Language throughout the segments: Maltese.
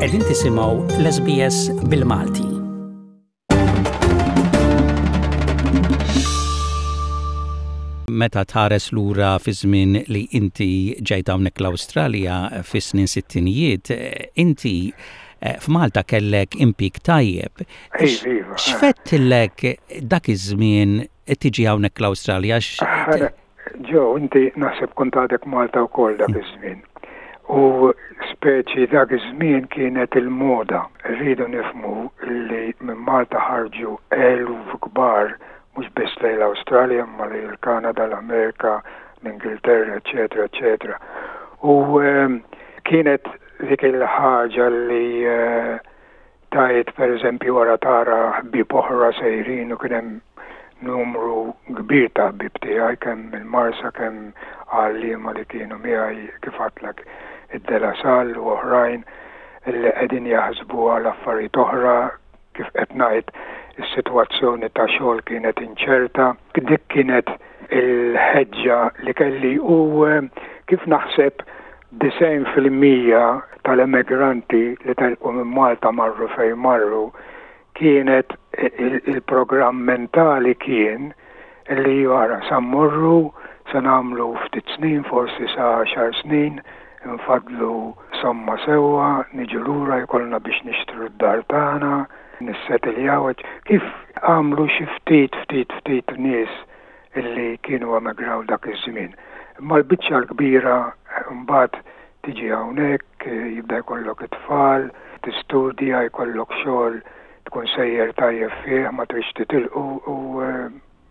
Qegħdin tisimgħu l-SBS bil-Malti. Meta tħares lura fi żmien li inti ġejt hawnhekk l-Awstralja fis-snin sittinijiet, inti eh, f'Malta kellek impik tajjeb. Iva. X'fettillek dak iż-żmien tiġi hawnhekk l-Awstralja? Joe, inti naħseb kont għadek Malta wkoll dak iż-żmien. U speċi dak iż-żmien kienet il-moda. Rridu nifhmu li minn Malta ħarġu eluf kbar mhux biss lejn l-Awstralja imma lejn il-Kanada, l-Amerika, l-Ingilterra, eċetera, eċetera. U ehm, kienet dik il-ħaġa li eh, Tgħid pereżempju wara tara ħbieb oħra sejrin u kien hemm numru kbir ta' ħbieb tiegħi kemm mill-Marsa kemm għalliema li kienu miegħi kif għadtlek id-De La Salle u oħrajn li qegħdin jaħsbu għal affarijiet oħra kif qed ngħid is-sitwazzjoni ta' xogħol kienet inċerta. Dik kienet il-ħeġġa li kelli u kif naħseb 90% tal-emigranti li telqu minn Malta marru fejn marru kienet il-programm mentali kien li wara sa mmorru se nagħmlu ftit snin forsi sa għaxar snin nfaddlu somma sewwa niġu lura jkollna biex nixtru d-dar tagħna nissetiljaw kif għamlu xi ftit ftit ftit nies illi kienu emigraw dak iż-żmien. Imma l-biċċa l-kbira mbagħad tiġi hawnhekk, jibda jkollok it-tfal, tistudja, jkollok xogħol tkun sejjer tajjeb fih, ma tridx titilqu u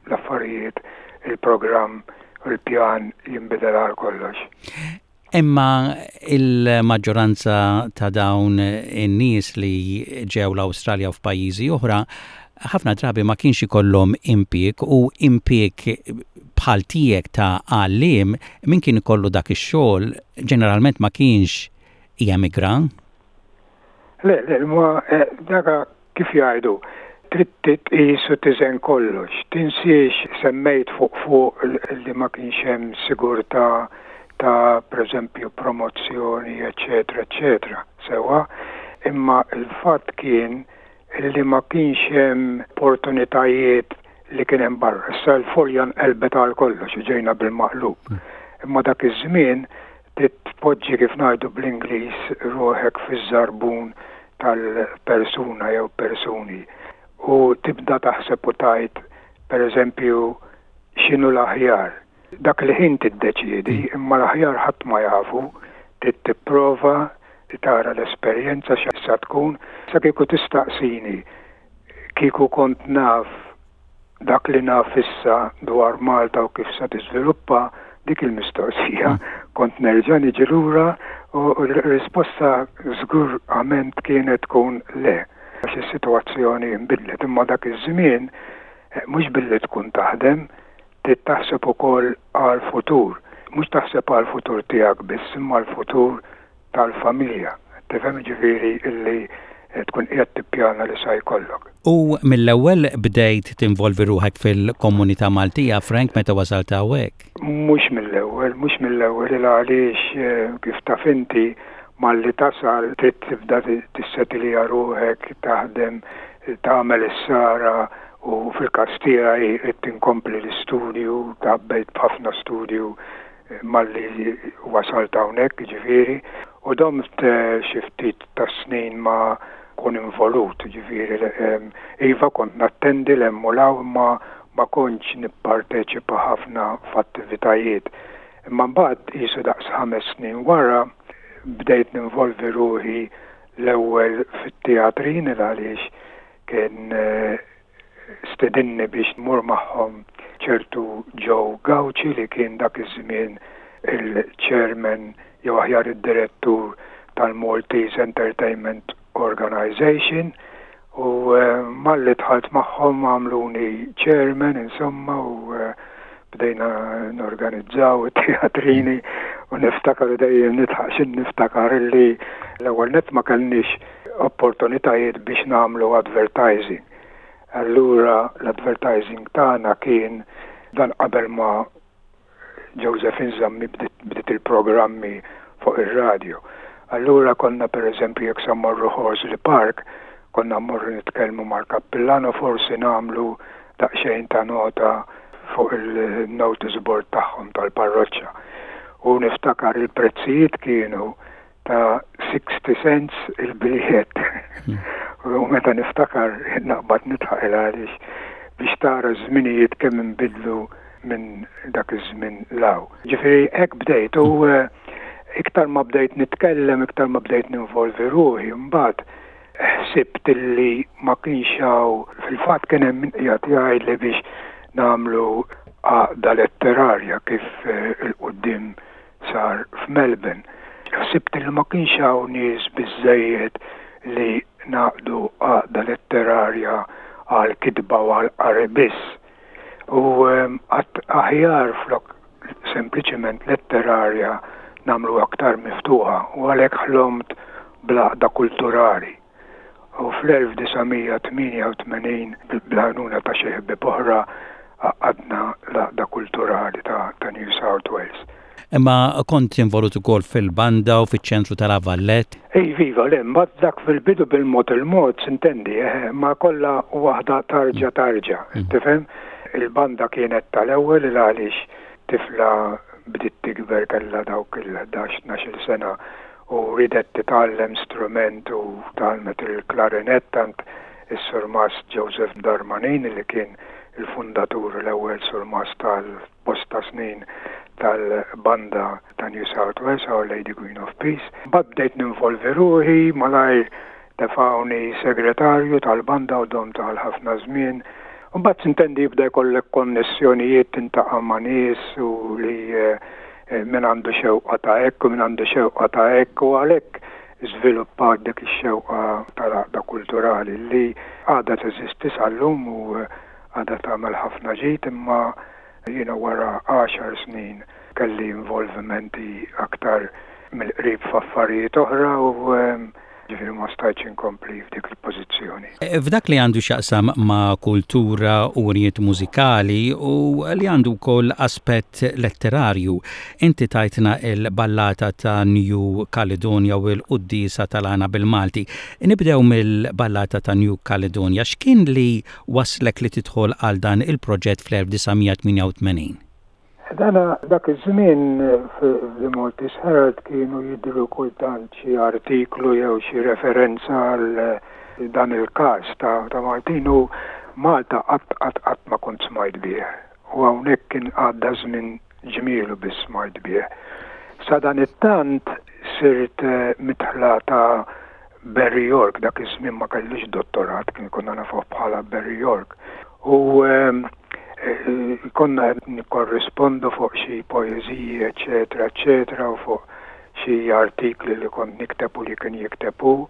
l-affarijiet, il-programm u l-pjan jinbidel għal kollox. Imma il-maġġoranza ta' dawn in-nies li ġew l-Awstralja u f'pajjiżi oħra ħafna drabi ma kienx ikollhom impjieg u impjieg bħal tiegħek ta' għalliem min kien ikollu dak ix-xogħol ġeneralment ma kienx jemigra. Le, le, ma eh, daka Kif jgħidu, trid tqis u tiżen kollox. Tinsiex semmejt fuq fuq li ma kienx hemm sigurtà ta' pereżempju promozzjoni eċċetera eċċetera, sewwa? Imma l-fatt kien li ma kienx hemm opportunitajiet li kien hemm barra. Issa l-folja nqelbet għal kollox u ġejna bil-maqlub. Imma dak iż-żmien trid tpoġġi kif ngħidu bl-Ingliż ruħek fiż-żarbun tal-persuna jew persuni u tibda taħseb u tgħid pereżempju x'inhu l-aħjar. Dak il-ħin tiddeċiedi imma l-aħjar ħadd ma jafu, trid tipprova tara l-esperjenza x'sa tkun. Sa kieku tistaqsini kieku kont naf dak li naf issa dwar Malta u kif se tiżviluppa, dik il-mistoqsija kont nerġa' niġi lura u r-risposta żgurament kienet tkun le għax is-sitwazzjoni nbidlet. Imma dak iż-żmien mhux billi tkun taħdem, trid taħseb ukoll għall-futur. Mhux taħseb għall-futur tiegħek biss imma l-futur tal-familja. Tifhem jiġifieri illi tkun qiegħed tippjana li sa jkollok. U mill-ewwel bdejt tinvolvi ruħek fil-komunità Maltija, Frank, meta wasalt hawnhekk? Mhux mill-ewwel, mhux mill-ewwel il għaliex kif taf inti malli tasal trid tibda tissetilja ruħek, taħdem, tagħmel is-sara u fil-każ tiegħi ridt inkompli l-istudju, tgħabbejt b'ħafna studju malli wasalt hawnhekk, jiġifieri, u domt xi ftit tas-snin ma nkun involut, jiġifieri, iva kont nattendi 'l hemm u 'l hawn imma ma kontx nipparteċipa ħafna f'attivitajiet. Imma mbagħad qisu daqs ħames snin wara bdejt ninvolvi ruħi l-ewwel fit-teatrin il għaliex kien stedinni biex nmur magħhom ċertu Joe Gauci li kien dak iż-żmien il-chairman jew aħjar id-direttur tal-Maltese Entertainment Organization u malli dħalt magħhom għamluni chairman insomma u bdejna norganizzaw it-teatrini u niftakar dejjem nidħaq x'in niftakar illi l-ewwel nett ma kellniex opportunitajiet biex nagħmlu advertising. Allura l-advertising tagħna kien dan qabel ma Josephine Zammi bdiet il-programmi fuq ir-radio. Allura konna pereżempju jekk sa mmorru Horsley Park, konna mmorru nitkellmu mal-kappillan u forsi nagħmlu daqsxejn ta' nota fuq il-notice board tagħhom tal-parroċċa. U niftakar il-prezzijiet kienu ta' 60 cents il-biljett. U meta niftakar naqbad nidħaq il għaliex biex tara ż-żminijiet kemm inbidlu minn dak iż-żmien 'l hawn. Ġifieri hekk bdejt u iktar ma bdejt nitkellem, iktar ma bdejt ninvolvi ruħi, mbagħad ħsibt illi ma kienx hawn, fil-fatt kien hemm min qiegħed jgħidli biex nagħmlu għaqda letterarja kif 'il quddiem sar f'Melbourne. Ħsibt li ma kienx hawn nies biżżejjed li ngħaqdu għaqda letterarja għall-kitba u għall-qari biss. U għadt aħjar flok sempliċement letterarja nagħmlu aktar miftuħa u għalhekk ħlomt bl-għaqda kulturali. U fl-1988 bl-għajnuna ta' xi ħbieb oħra għaqqadna l-Għaqda Kulturali ta' New South Wales. Imma kont involut ukoll fil-banda u fiċ-ċentru ta' La Vallette. Iva, iva, le, mbagħad dak fil-bidu bil-mod il-mod, sintendi, eħe, ma kollha waħda tarġa' tarġa', tifhem? Il-banda kienet tal-ewwel il għaliex tifla bdiet tikber kellha dawk il-ħdax, tnax-il sena u riedet titgħallem strument u tgħallmet il-klarinett għand is-Surmast Joseph Darmanin li kien il-fundatur u l-ewwel surmast għal bosta snin tal-banda ta' New South Wales, Our Lady Queen of Peace. Mbagħad bdejt ninvolvi ruħi, malajr tefgħuni segretarju tal-banda u domt għal ħafna żmien. Mbagħad sintendi jibda jkollek konnessjonijiet tintaqa' ma' nies u li min għandu xewqa ta' hekk u min għandu xewqa ta' hekk u għalhekk żviluppat dik ix-xewqa tal-għaqda kulturali li għadha teżisti sal-lum u għadha tagħmel ħafna ġid imma jiena wara għaxar snin kelli involvimenti aktar mill-qrib f'affarijiet oħra u Ġifieri ma stajtx inkompli f'dik il-pożizzjoni. F'dak li għandu x'jaqsam ma' kultura u wirjiet mużikali u li għandu wkoll aspett letterarju, inti tajtna l-ballata ta' New Caledonia u l-quddiesa tal-għana bil-Malti. Nibdew mill-ballata ta' New Caledonia. X'kien li wasslek li tidħol għal dan il-proġett fl-1988? Dana dak iż-żmien f'The Maltese Herald kienu jidhru kultant xi artiklu jew xi referenza għal dan il-każ ta' Maltin u Malta qatt qatt qatt ma kont smajt bih. U hawnhekk kien għadda żmien ġmielu biss smajt bih. Sadanittant sirt midħla ta' Barry York, dak iż-żmien ma kellux dottorat, kien konna nafuh bħala Barry York. U konna qed nikkorrispondu fuq xi poeżiji, eċċetera, eċċetera, u fuq xi artikli li kont nikteb u li kien jikteb hu.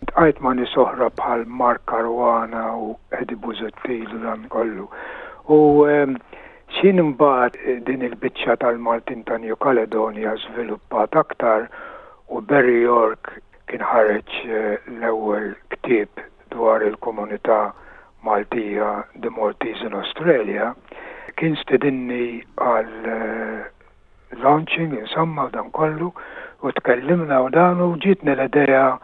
Ltqajt ma' nies oħra bħal Mark Caruana u Eddie Busuttil u dan kollu. U x'ħin imbagħad din il-biċċa tal-Maltin ta' New Caledonia żviluppat aktar u Barry York kien ħareġ l-ewwel ktieb dwar il-komunità Maltija The Maltese in Australia, kien stedinni għal launching insomma u dan kollu u tkellimna u dan u ġietni l-idea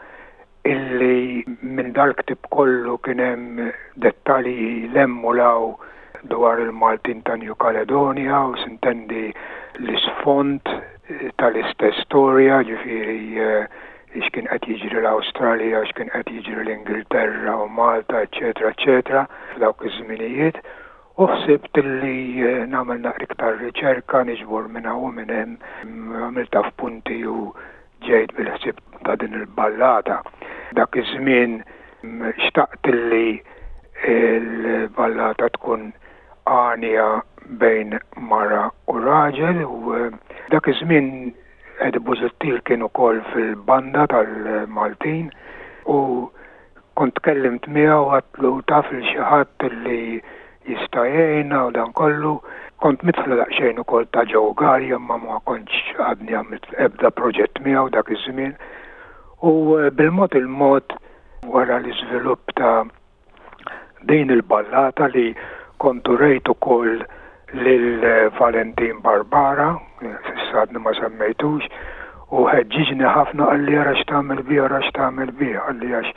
illi minn dal-ktieb kollu kien hemm dettalji 'l hemm u 'l hawn dwar il-Maltin ta' New Caledonia u sintendi l-isfond tal-istess storja, ġifieri x'kien qed jiġri l-Awstralja, x'kien qed jiġri l-Ingilterra u Malta, eċċetera, eċċetera, f'dawk iż-żminijiet. U ħsibt li nagħmel naqra iktar riċerka, niġbor minn hawn u minn hemm, għamiltha f'punti u ġejt bil-ħsieb ta' din il-ballata. Dak iż-żmien xtaqt li l-ballata tkun għanja bejn mara u raġel u dak iż-żmien Eddie Busuttil kien ukoll fil-banda tal-Maltin u kont tkellimt miegħu għadtlu taf lil xi ħadd li jista' jgħinna u dan kollu. Kont midħla daqsxejn ukoll ta' Joe Galea imma ma kontx għadni għamilt ebda proġett miegħu dak iż-żmien. U bil-mod il-mod wara l-iżvilupp ta' din il-ballata li kont urejt ukoll lil Valentin Barbara, s'issa għadni ma semmejtux, U ħeġġiġni ħafna qalli ara x'tagħmel biha, ara x'tagħmel biha, qalli għax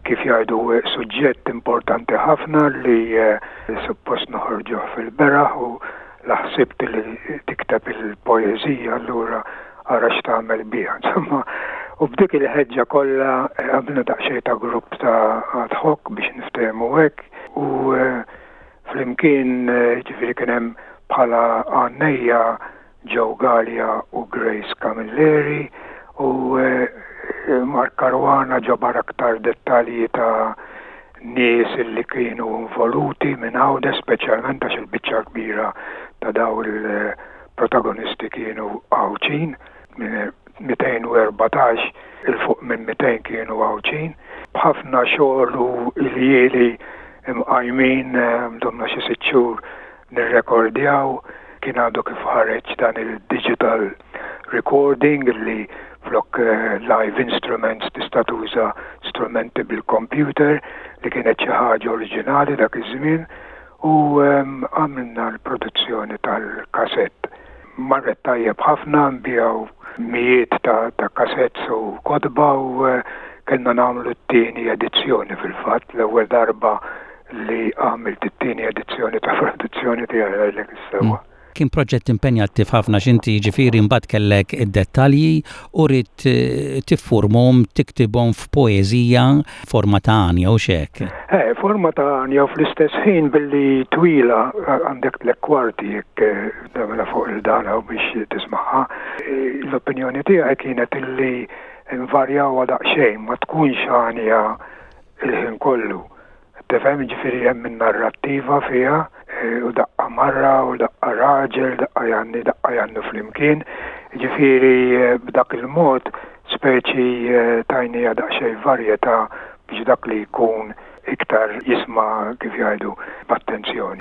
kif jgħidu suġġett importanti ħafna li suppost noħorġuh fil-beraħ u la ħsibt li tikteb il-poeżija allura ara x'tagħmel biha. Insomma, u b'dik il-ħeġġa kollha għamilna daqsxejn ta' grupp ta' ad hoc biex niftehmu hekk u flimkien ġifieri kien hemm bħala għannejja Joe Galea u Grace Camilleri u Mark Caruana ġabar aktar dettalji ta' nies li kienu involuti minn Għawdex speċjalment għax il-biċċa l-kbira ta' dawn il-protagonisti kienu Għawdxin, minn 214 'il fuq minn 200 kienu Għawdxin. B'ħafna xogħol u iljieli mqajmin, domna xi sitt xhur nirrekordjaw, kien għadu kif ħareġ dan il-digital recording li flok live instruments tista' tuża strumenti bil-computer li kienet xi ħaġa oriġinali dak iż-żmien u għamilna l-produzzjoni tal-kasett. Marret tajjeb ħafna, nbiegħu mijiet ta' kasetts u kotba u kellna nagħmlu t-tieni edizzjoni fil-fatt, l-ewwel darba li għamilt it-tieni edizzjoni ta' produzzjoni tiegħi ngħidlek is-sewwa. Kien proġett impenjattiv ħafna x'inti jiġifieri mbagħad kellek id-dettalji u ridt tiffurmhom, tiktibhom f'poeżija forma ta' għanja hux hekk? Eh, forma ta' għanja u fl-istess ħin billi twila għandek tlett kwarti jekk tagħmilha fuq il-dana u biex tismagħha. L-opinjoni tiegħi kienet illi nvarjawha daqsxejn, ma tkunx għanja il-ħin kollu. Tifhem, jiġifieri hemm in-narrattiva fiha u daqqa mara u daqqa raġel, daqqa jgħanni, daqqa jgħannu flimkien. Jiġifieri b'dak il-mod speċi tajniha daqsxejn varjetà biex dak li jkun iktar jisma' kif jgħidu b'attenzjoni.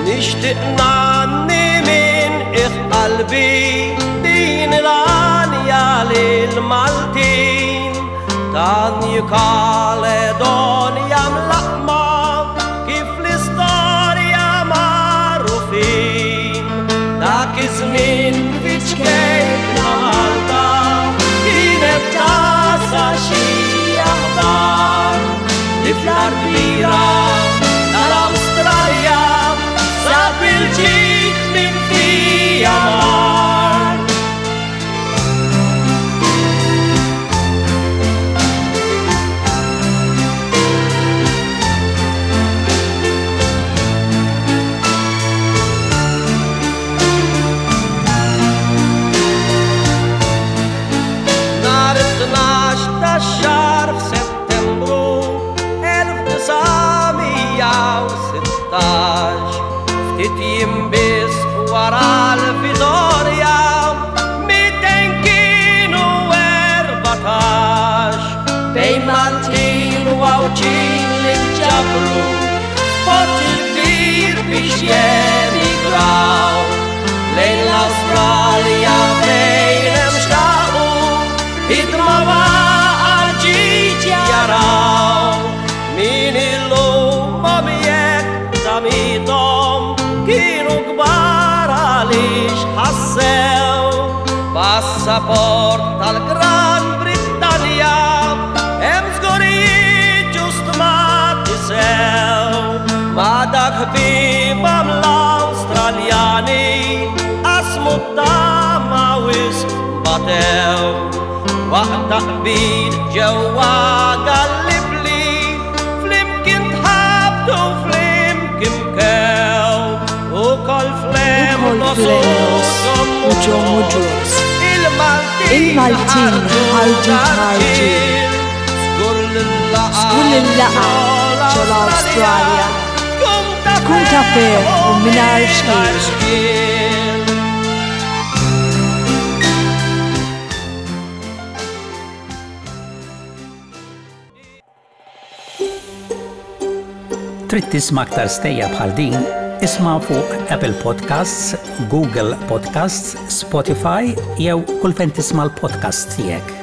Nixtieq ngħanni minn qiegħ qalbi din l-għanja lill-Maltin. Ta' New Caledonia mlaqqma kif l-istorja magħrufin. Dak iż-żmien fi ċkejkna Malta kienet tasa xi aħbar li fl-art kbira tal-Awstralja sab il-ġid minn fija mar. Nhar it-tnax tax-xahar f'Settembru 1916, ftit jiem biss wara l-Vitorja, 200 kienu 14, bejn Maltin u Għawdxin li nġabru f'port il-kbir biex jemigraw lejn l-Awstralja fejn hemm xtaqu ħidma għal ġid jaraw min illum jekk tamithom kienu kbar għaliex ħassew passaport tal-Gran Brittanja hemm żgur jiġu stmati sew ma' dak ħbiebhom l-Awstraljani qasmu t-tama wisq batew waqt taqbid ġewwa Gallipli flimkien tħabtu flimkien bkew ukoll f'Lemnos u ġo Mudros il-Maltin ħarġu tarġiel żgur li l-laqgħa ġol-Awstralja tkun ta' ferħ u mingħajr xkiel. Trid tisma' aktar stejjer bħal din? Isma' fuq Apple Podcasts, Google Podcasts, Spotify jew kull fejn tisma' l-podcasts tiegħek.